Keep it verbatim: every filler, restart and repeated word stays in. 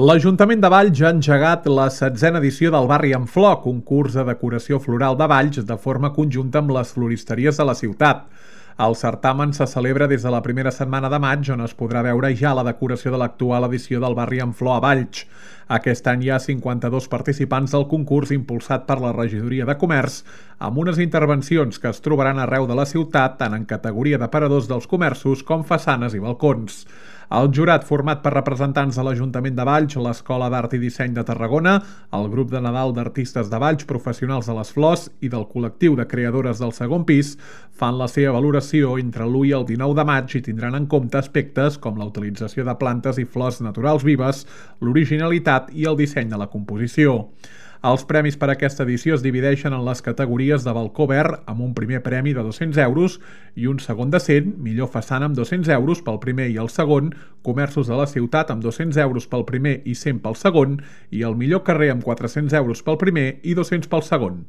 L'Ajuntament de Valls ha engegat la setzena edició del Barri en Flor, concurs de decoració floral de Valls de forma conjunta amb les floristeries de la ciutat. El certamen se celebra des de la primera setmana de maig, on es podrà veure ja la decoració de l'actual edició del Barri en Flor a Valls. Aquest any hi ha cinquanta-dos participants del concurs impulsat per la Regidoria de Comerç, amb unes intervencions que es trobaran arreu de la ciutat, tant en categoria d'aparadors dels comerços com façanes i balcons. El jurat, format per representants de l'Ajuntament de Valls, l'Escola d'Art i Disseny de Tarragona, el grup de Nadal d'artistes de Valls, professionals de les flors i del col·lectiu de creadores del segon pis, fan la seva valoració entre l'u i el dinou de maig i tindran en compte aspectes com la utilització de plantes i flors naturals vives, l'originalitat i el disseny de la composició. Els premis per a aquesta edició es divideixen en les categories de balcó verd amb un primer premi de dos-cents euros i un segon de cent, millor façana amb dos-cents euros pel primer i el segon, comerços de la ciutat amb dos-cents euros pel primer i cent pel segon i el millor carrer amb quatre-cents euros pel primer i dos-cents pel segon.